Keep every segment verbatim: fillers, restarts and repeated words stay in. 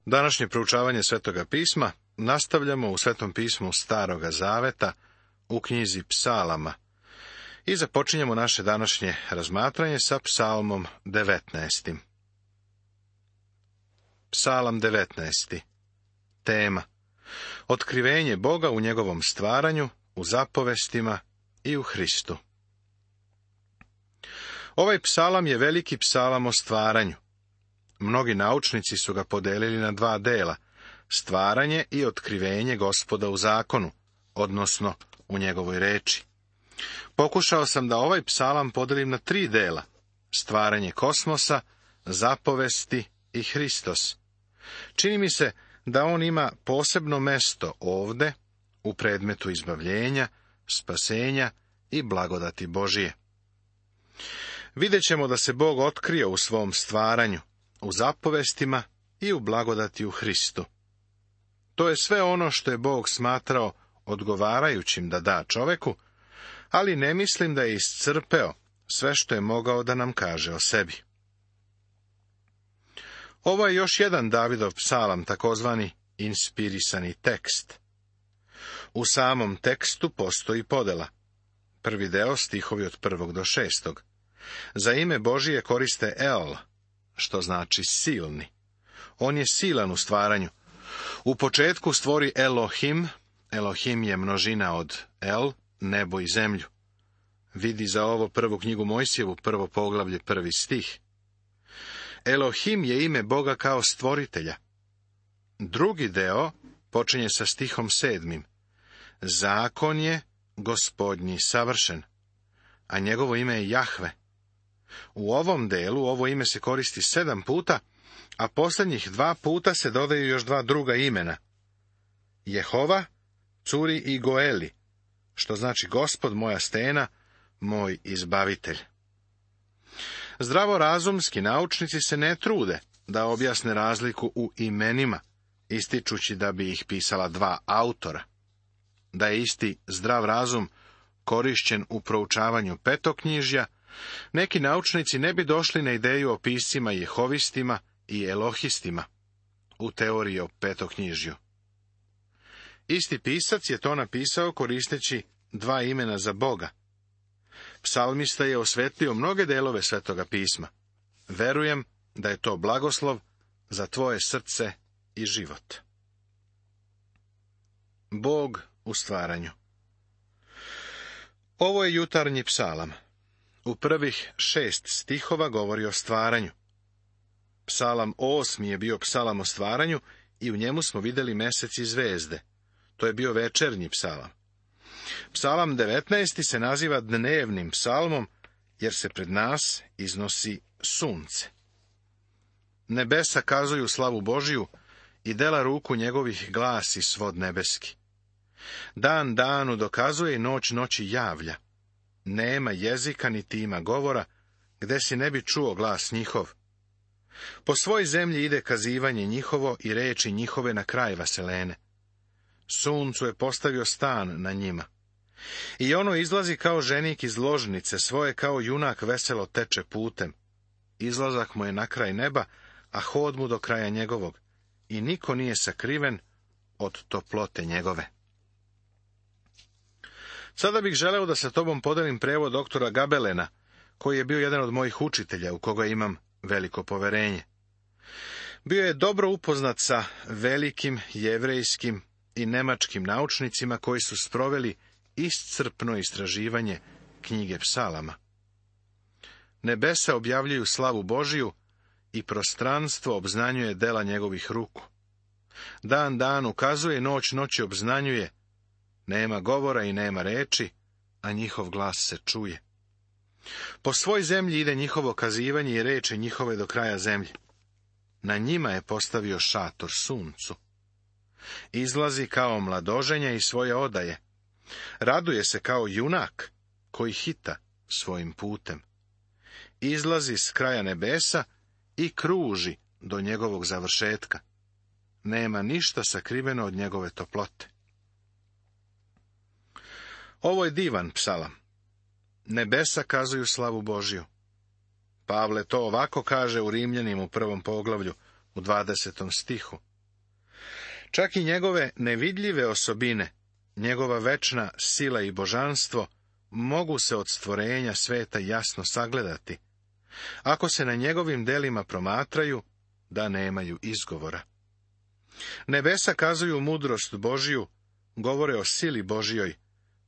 Današnje proučavanje Svetoga pisma nastavljamo u Svetom pismu Staroga zaveta u knjizi Psalama i započinjemo naše današnje razmatranje sa Psalmom devetnaestim. Psalam devetnaesti. Tema: otkrivenje Boga u njegovom stvaranju, u zapovestima i u Hristu. Ovaj psalam je veliki psalam o stvaranju. Mnogi naučnici su ga podelili na dva dela: stvaranje i otkrivenje Gospoda u zakonu, odnosno u njegovoj reči. Pokušao sam da ovaj psalam podelim na tri dela: stvaranje kosmosa, zapovesti i Hristos. Čini mi se da on ima posebno mesto ovde, u predmetu izbavljenja, spasenja i blagodati Božije. Vidjet ćemo da se Bog otkrio u svom stvaranju, u zapovestima i u blagodati u Hristu. To je sve ono što je Bog smatrao odgovarajućim da da čoveku, ali ne mislim da je iscrpeo sve što je mogao da nam kaže o sebi. Ovo je još jedan Davidov psalam, takozvani inspirisani tekst. U samom tekstu postoji podela. Prvi deo, stihovi od prvog do šestog. Za ime Božije koriste El, što znači silni. On je silan u stvaranju. U početku stvori Elohim. Elohim je množina od El, nebo i zemlju. Vidi za ovo prvu knjigu Mojsijevu, prvo poglavlje, prvi stih. Elohim je ime Boga kao stvoritelja. Drugi deo počinje sa stihom sedmim. Zakon je Gospodnji savršen, a njegovo ime je Jahve. U ovom delu ovo ime se koristi sedam puta, a posljednjih dva puta se dodaju još dva druga imena. Jehova, Curi i Goeli, što znači Gospod moja stena, moj izbavitelj. Zdravorazumski naučnici se ne trude da objasne razliku u imenima, ističući da bi ih pisala dva autora. Da je isti zdrav razum korišćen u proučavanju petoknjižja, neki naučnici ne bi došli na ideju o piscima jehovistima i elohistima u teoriji o petoknjižju. Isti pisac je to napisao koristeći dva imena za Boga. Psalmista je osvetlio mnoge delove Svetoga pisma. Verujem da je to blagoslov za tvoje srce i život. Bog u stvaranju. Ovo je jutarnji psalam. U prvih šest stihova govori o stvaranju. Psalam osmi je bio psalam o stvaranju i u njemu smo vidjeli mesec i zvezde. To je bio večernji psalam. Psalam devetnaesti se naziva dnevnim psalmom, jer se pred nas iznosi sunce. Nebesa kazuju slavu Božiju i dela ruku njegovih glasi svod nebeski. Dan danu dokazuje i noć noći javlja. Nema jezika niti ima govora, gde si ne bi čuo glas njihov. Po svoj zemlji ide kazivanje njihovo i reči njihove na kraj vaselene. Suncu je postavio stan na njima. I ono izlazi kao ženik iz ložnice svoje, kao junak veselo teče putem. Izlazak mu je na kraj neba, a hod mu do kraja njegovog. I niko nije sakriven od toplote njegove. Sada bih želeo da sa tobom podelim prevod doktora Gabelena, koji je bio jedan od mojih učitelja, u koga imam veliko poverenje. Bio je dobro upoznat sa velikim jevrejskim i nemačkim naučnicima koji su sproveli iscrpno istraživanje knjige psalama. Nebesa objavljuju slavu Božiju i prostranstvo obznanjuje dela njegovih ruku. Dan dan ukazuje, noć noći obznanjuje. Nema govora i nema reči, a njihov glas se čuje. Po svoj zemlji ide njihovo kazivanje i reči njihove do kraja zemlje. Na njima je postavio šator suncu. Izlazi kao mladoženja iz svoje odaje. Raduje se kao junak koji hita svojim putem. Izlazi s kraja nebesa i kruži do njegovog završetka. Nema ništa sakriveno od njegove toplote. Ovo je divan psalam. Nebesa kazuju slavu Božju. Pavle to ovako kaže u Rimljanima u prvom poglavlju, u dvadesetom stihu. Čak i njegove nevidljive osobine, njegova večna sila i božanstvo, mogu se od stvorenja sveta jasno sagledati, ako se na njegovim delima promatraju, da nemaju izgovora. Nebesa kazuju mudrost Božiju, govore o sili Božjoj,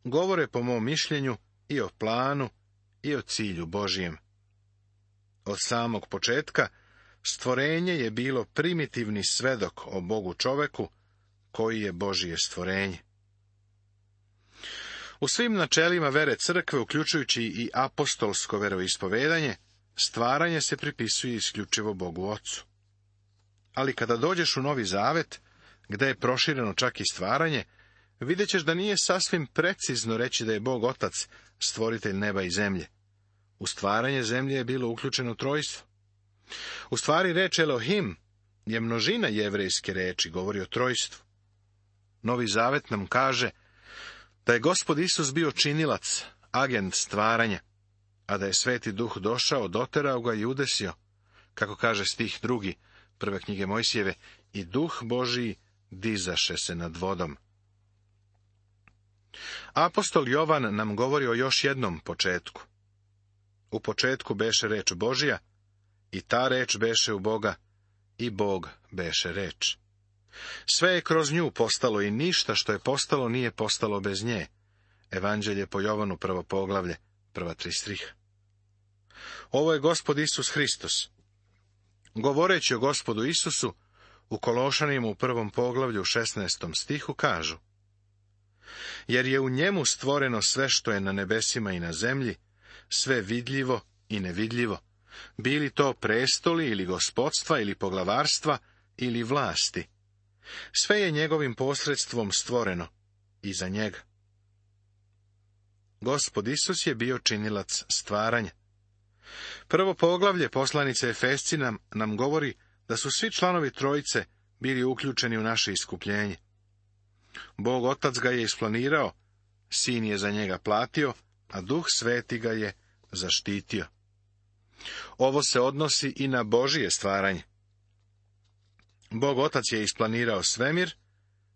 govore po mom mišljenju i o planu i o cilju Božijem. Od samog početka stvorenje je bilo primitivni svedok o Bogu čoveku, koji je Božije stvorenje. U svim načelima vere crkve, uključujući i apostolsko veroispovedanje, stvaranje se pripisuje isključivo Bogu Ocu. Ali kada dođeš u Novi Zavet, gde je prošireno čak i stvaranje, vidjet ćeš da nije sasvim precizno reći da je Bog Otac stvoritelj neba i zemlje. U stvaranje zemlje je bilo uključeno trojstvo. U stvari reč Elohim je množina jevrejske reči, govori o trojstvu. Novi Zavet nam kaže da je Gospod Isus bio činilac, agent stvaranja, a da je Sveti Duh došao, doterao ga i udesio, kako kaže stih drugi prve knjige Mojsijeve, i Duh Božiji dizaše se nad vodom. Apostol Jovan nam govori o još jednom početku. U početku beše reč Božija, i ta reč beše u Boga, i Bog beše reč. Sve je kroz nju postalo i ništa što je postalo nije postalo bez nje. Evanđelje po Jovanu, prvo poglavlje, prva tri striha. Ovo je Gospod Isus Hristos. Govoreći o Gospodu Isusu, u Kološanima u prvom poglavlju u šesnaestom stihu kažu: jer je u njemu stvoreno sve što je na nebesima i na zemlji, sve vidljivo i nevidljivo, bili to prestoli ili gospodstva ili poglavarstva ili vlasti. Sve je njegovim posredstvom stvoreno i za njega. Gospod Isus je bio činilac stvaranja. Prvo poglavlje poslanice Efesci nam, nam govori da su svi članovi trojice bili uključeni u naše iskupljenje. Bog Otac ga je isplanirao, Sin je za njega platio, a Duh Sveti ga je zaštitio. Ovo se odnosi i na Božije stvaranje. Bog Otac je isplanirao svemir,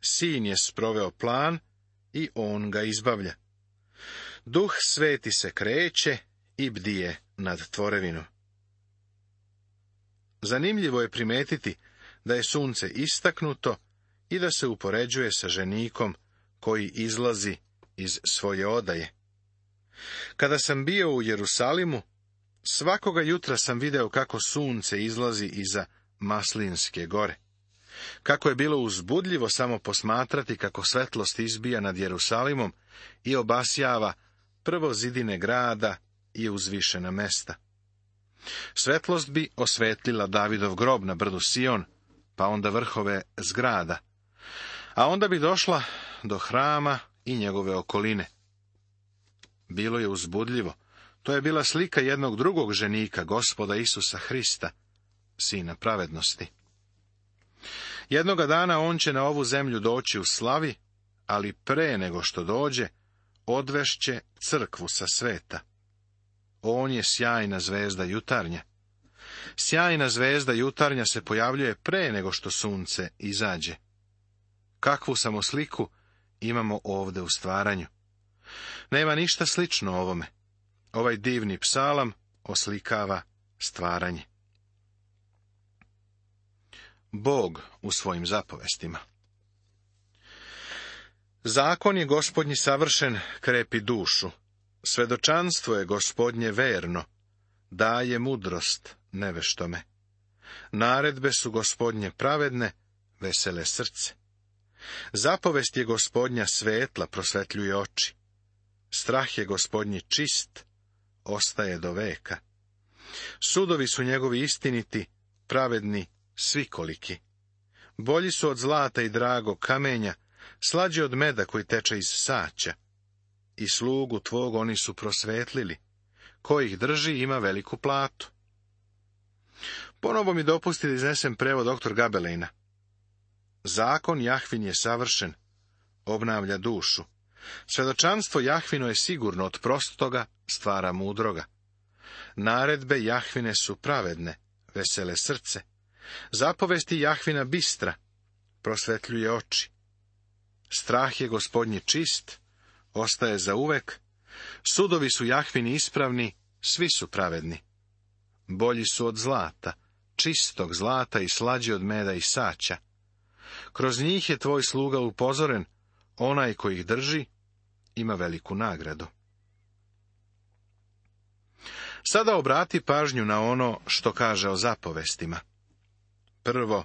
Sin je sproveo plan i on ga izbavlja. Duh Sveti se kreće i bdije nad tvorevinom. Zanimljivo je primetiti da je sunce istaknuto i da se upoređuje sa ženikom koji izlazi iz svoje odaje. Kada sam bio u Jerusalimu, svakoga jutra sam video kako sunce izlazi iza Maslinske gore. Kako je bilo uzbudljivo samo posmatrati kako svetlost izbija nad Jerusalimom i obasjava prvo zidine grada i uzvišena mesta. Svetlost bi osvetlila Davidov grob na brdu Sion, pa onda vrhove zgrada, a onda bi došla do hrama i njegove okoline. Bilo je uzbudljivo. To je bila slika jednog drugog ženika, Gospoda Isusa Hrista, Sina pravednosti. Jednoga dana on će na ovu zemlju doći u slavi, ali pre nego što dođe, odvešće crkvu sa sveta. On je sjajna zvezda jutarnja. Sjajna zvezda jutarnja se pojavljuje pre nego što sunce izađe. Kakvu samo sliku imamo ovde u stvaranju. Nema ništa slično ovome. Ovaj divni psalam oslikava stvaranje. Bog u svojim zapovestima. Zakon je Gospodnji savršen, krepi dušu. Svedočanstvo je Gospodnje verno, daje mudrost neveštome. Naredbe su Gospodnje pravedne, vesele srce. Zapovest je Gospodnja svetla, prosvetljuje oči. Strah je Gospodnji čist, ostaje do veka. Sudovi su njegovi istiniti, pravedni, svikoliki. Bolji su od zlata i dragog kamenja, slađi od meda koji teče iz saća. I slugu tvog oni su prosvetlili. Ko ih drži ima veliku platu. Ponovo mi dopusti da iznesem prevod doktor Gabelejna. Zakon Jahvin je savršen, obnavlja dušu. Svedočanstvo Jahvino je sigurno, od prostoga stvara mudroga. Naredbe Jahvine su pravedne, vesele srce. Zapovesti Jahvina bistra, prosvetljuje oči. Strah je Gospodnji čist, ostaje za uvek, sudovi su Jahvini ispravni, svi su pravedni. Bolji su od zlata, čistog zlata i slađi od meda i saća. Kroz njih je tvoj sluga upozoren, onaj koji ih drži ima veliku nagradu. Sada obrati pažnju na ono što kaže o zapovestima. Prvo,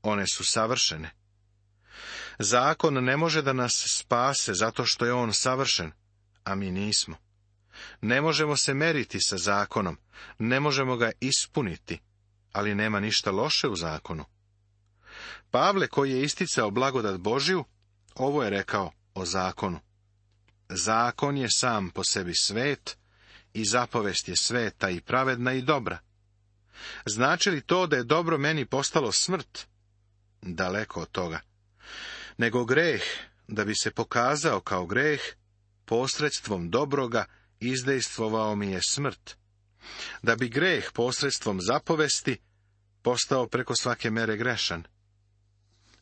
one su savršene. Zakon ne može da nas spase zato što je on savršen, a mi nismo. Ne možemo se meriti sa zakonom, ne možemo ga ispuniti, ali nema ništa loše u zakonu. Pavle, koji je isticao blagodat Božju, ovo je rekao o zakonu. Zakon je sam po sebi svet, i zapovest je sveta i pravedna i dobra. Znači li to da je dobro meni postalo smrt? Daleko od toga. Nego greh, da bi se pokazao kao greh, posredstvom dobroga izdejstvovao mi je smrt. Da bi greh posredstvom zapovesti postao preko svake mere grešan.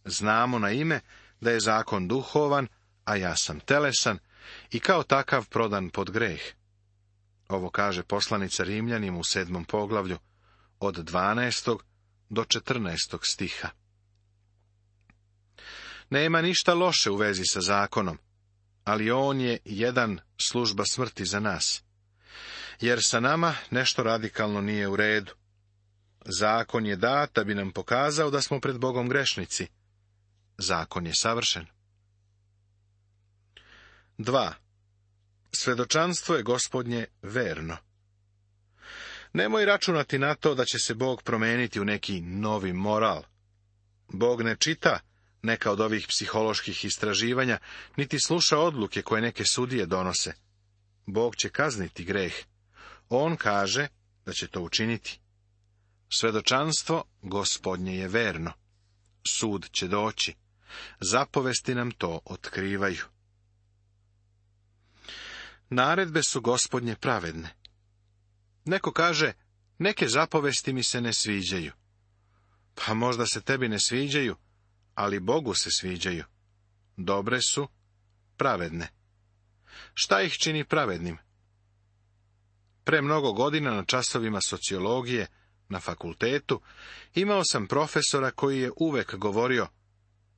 Znamo na ime da je zakon duhovan, a ja sam telesan i kao takav prodan pod greh. Ovo kaže poslanica Rimljanima u sedmom poglavlju, od dvanaestog do četrnaestog stiha. Nema ništa loše u vezi sa zakonom, ali on je jedan služba smrti za nas. Jer sa nama nešto radikalno nije u redu. Zakon je dat da bi nam pokazao da smo pred Bogom grešnici. Zakon je savršen. Dva. Svedočanstvo je Gospodnje verno. Nemoj računati na to da će se Bog promeniti u neki novi moral. Bog ne čita neka od ovih psiholoških istraživanja, niti sluša odluke koje neke sudije donose. Bog će kazniti greh. On kaže da će to učiniti. Svedočanstvo Gospodnje je verno. Sud će doći. Zapovesti nam to otkrivaju. Naredbe su Gospodnje pravedne. Neko kaže, neke zapovesti mi se ne sviđaju. Pa možda se tebi ne sviđaju, ali Bogu se sviđaju. Dobre su, pravedne. Šta ih čini pravednim? Pre mnogo godina na časovima sociologije na fakultetu imao sam profesora koji je uvek govorio,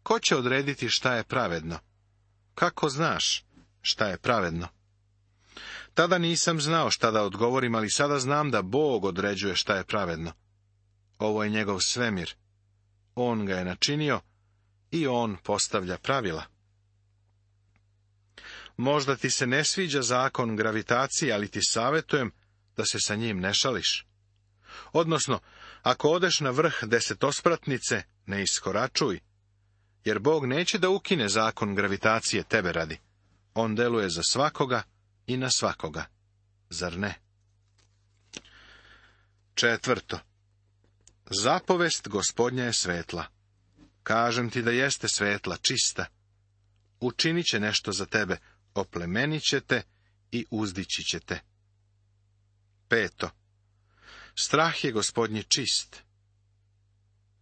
ko će odrediti šta je pravedno? Kako znaš šta je pravedno? Tada nisam znao šta da odgovorim, ali sada znam da Bog određuje šta je pravedno. Ovo je njegov svemir. On ga je načinio i on postavlja pravila. Možda ti se ne sviđa zakon gravitacije, ali ti savjetujem da se sa njim ne šališ. Odnosno, ako odeš na vrh desetospratnice, ne iskoračuj, jer Bog neće da ukine zakon gravitacije tebe radi. On deluje za svakoga i na svakoga. Zar ne? Četvrto. Zapovest Gospodnja je svetla. Kažem ti da jeste svetla, čista. Učinit će nešto za tebe, oplemenit će te i uzdići će te. Peto. Strah je Gospodnji čist.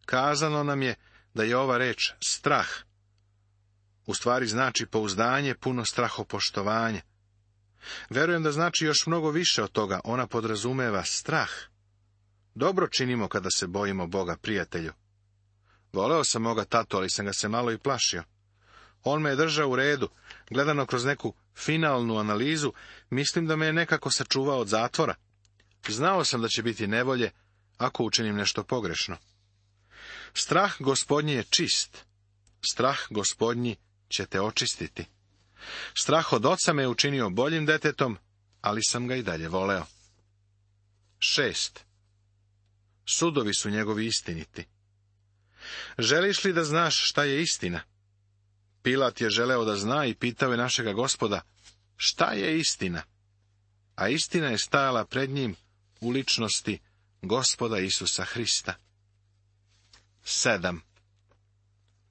Kazano nam je da je ova reč strah. U stvari znači pouzdanje, puno strahopoštovanja. Verujem da znači još mnogo više od toga, ona podrazumeva strah. Dobro činimo kada se bojimo Boga, prijatelju. Voleo sam moga tatu, ali sam ga se malo i plašio. On me je držao u redu, gledano kroz neku finalnu analizu, mislim da me je nekako sačuvao od zatvora. Znao sam da će biti nevolje, ako učinim nešto pogrešno. Strah Gospodnji je čist. Strah Gospodnji će te očistiti. Strah od oca me je učinio boljim detetom, ali sam ga i dalje voleo. Šest. Sudovi su njegovi istiniti. Želiš li da znaš šta je istina? Pilat je želeo da zna i pitao je našega Gospoda, šta je istina? A istina je stajala pred njim u ličnosti Gospoda Isusa Hrista. Sedam.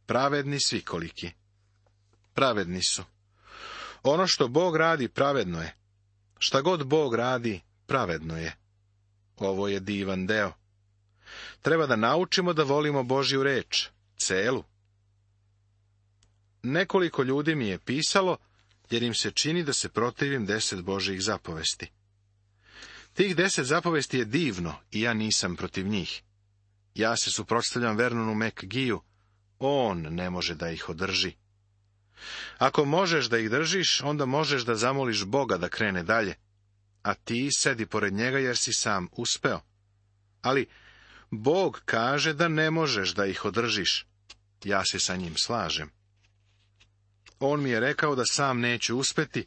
Pravedni svikoliki. Pravedni su. Ono što Bog radi pravedno je. Šta god Bog radi pravedno je. Ovo je divan deo. Treba da naučimo da volimo Božju reč, celu, Nekoliko ljudi mi je pisalo, jer im se čini da se protivim deset Božjih zapovesti. Tih deset zapovesti je divno i ja nisam protiv njih. Ja se suprotstavljam Vernonu McGeeju, on ne može da ih održi. Ako možeš da ih držiš, onda možeš da zamoliš Boga da krene dalje, a ti sedi pored njega jer si sam uspeo. Ali Bog kaže da ne možeš da ih održiš. Ja se sa njim slažem. On mi je rekao da sam neću uspeti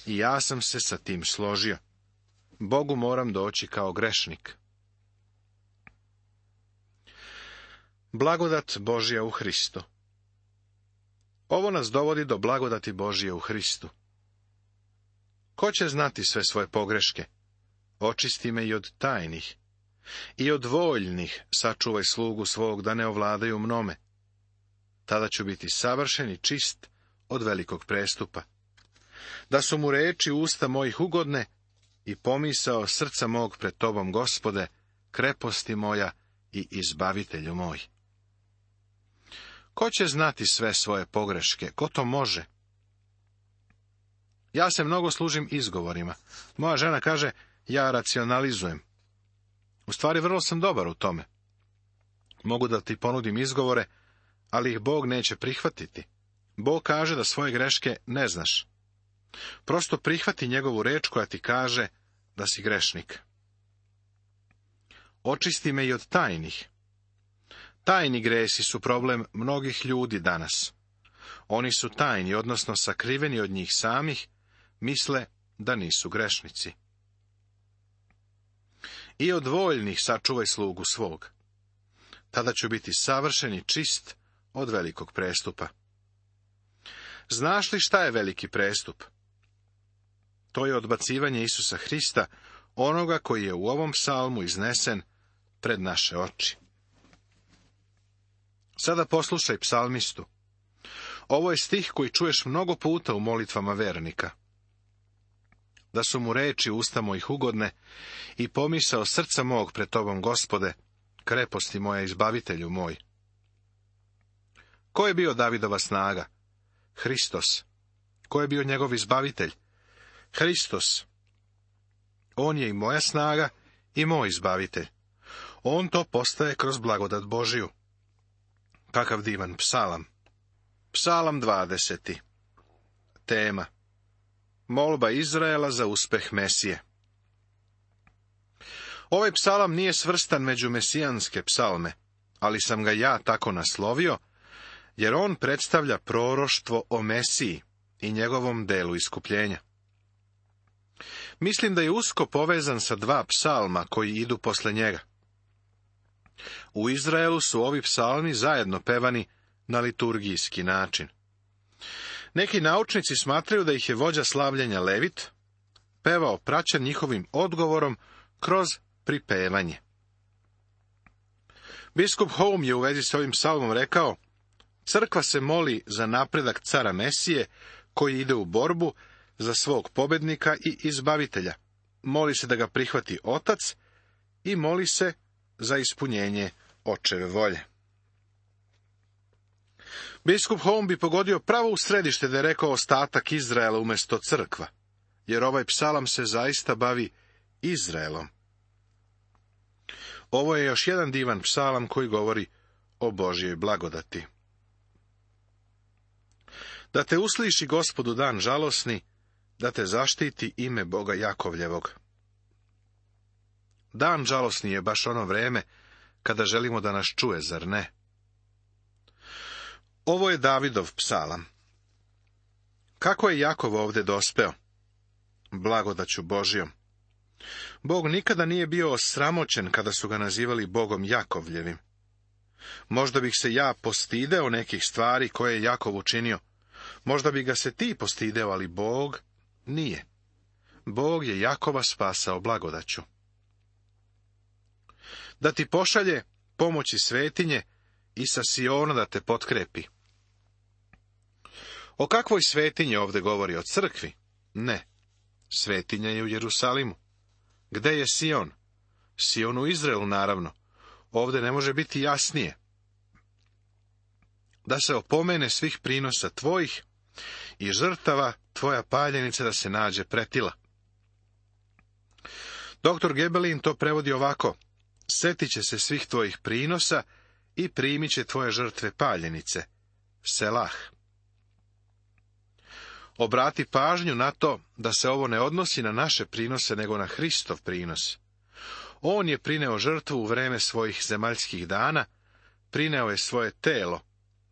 i ja sam se sa tim složio. Bogu moram doći kao grešnik. Blagodat Božja u Hristu. Ovo nas dovodi do blagodati Božje u Hristu. Ko će znati sve svoje pogreške? Očisti me i od tajnih. I od voljnih sačuvaj slugu svog da ne ovladaju mnome. Tada ću biti savršen i čist od velikog prestupa. Da su mu reči usta mojih ugodne i pomisao srca mog pred tobom, Gospode, kreposti moja i izbavitelju moj. Ko će znati sve svoje pogreške? Ko to može? Ja se mnogo služim izgovorima. Moja žena kaže, ja racionalizujem. U stvari, vrlo sam dobar u tome. Mogu da ti ponudim izgovore, ali ih Bog neće prihvatiti. Bog kaže da svoje greške ne znaš. Prosto prihvati njegovu reč koja ti kaže da si grešnik. Očisti me i od tajnih. Tajni gresi su problem mnogih ljudi danas. Oni su tajni, odnosno sakriveni od njih samih, misle da nisu grešnici. I od voljnih sačuvaj slugu svog. Tada ću biti savršen i čist od velikog prestupa. Znaš li šta je veliki prestup? To je odbacivanje Isusa Hrista, onoga koji je u ovom psalmu iznesen pred naše oči. Sada poslušaj psalmistu. Ovo je stih koji čuješ mnogo puta u molitvama vernika. Da su mu reči usta mojih ugodne i pomisao srca mog pred tobom, Gospode, kreposti moja, izbavitelju moj. Ko je bio Davidova snaga? Hristos. Ko je bio njegov izbavitelj? Hristos. On je i moja snaga i moj izbavitelj. On to postaje kroz blagodat Božiju. Kakav divan psalam. Psalam dvadeseti. Tema. Molba Izraela za uspeh Mesije. Ovaj psalam nije svrstan među mesijanske psalme, ali sam ga ja tako naslovio, jer on predstavlja proroštvo o Mesiji i njegovom delu iskupljenja. Mislim da je usko povezan sa dva psalma koji idu posle njega. U Izraelu su ovi psalmi zajedno pevani na liturgijski način. Neki naučnici smatraju da ih je vođa slavljenja Levit pevao praćen njihovim odgovorom kroz pripevanje. Biskup Home je u vezi s ovim psalmom rekao, crkva se moli za napredak cara Mesije, koji ide u borbu za svog pobednika i izbavitelja. Moli se da ga prihvati Otac i moli se za ispunjenje Očeve volje. Biskup Home bi pogodio pravo u središte da je rekao ostatak Izraela umjesto crkva, jer ovaj psalam se zaista bavi Izraelom. Ovo je još jedan divan psalam koji govori o Božjoj blagodati. Da te usliši Gospodu dan žalosni, da te zaštiti ime Boga Jakovljevog. Dan žalosni je baš ono vreme kada želimo da nas čuje, zar ne? Ovo je Davidov psalam. Kako je Jakov ovdje dospeo? Blagodaću Božjom. Bog nikada nije bio osramoćen kada su ga nazivali Bogom Jakovljevim. Možda bih se ja postideo nekih stvari koje je Jakov učinio. Možda bi ga se ti postideo, ali Bog nije. Bog je Jakova spasao blagodaću. Da ti pošalje pomoći svetinje i sa Siona da te potkrepi. O kakvoj svetinji ovdje govori? O crkvi? Ne. Svetinja je u Jerusalimu. Gde je Sion? Sion u Izraelu, naravno. Ovdje ne može biti jasnije. da se opomene svih prinosa tvojih i žrtava tvoja paljenica da se nađe pretila. Doktor Gebelin to prevodi ovako: setit će se svih tvojih prinosa i primit će tvoje žrtve paljenice. Selah. Obrati pažnju na to da se ovo ne odnosi na naše prinose, nego na Hristov prinos. On je prineo žrtvu u vreme svojih zemaljskih dana, prineo je svoje telo,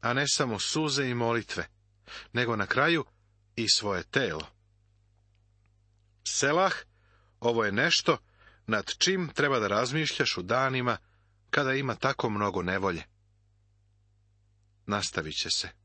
a ne samo suze i molitve, nego na kraju i svoje telo. Selah, ovo je nešto nad čim treba da razmišljaš u danima kada ima tako mnogo nevolje. Nastavit će se.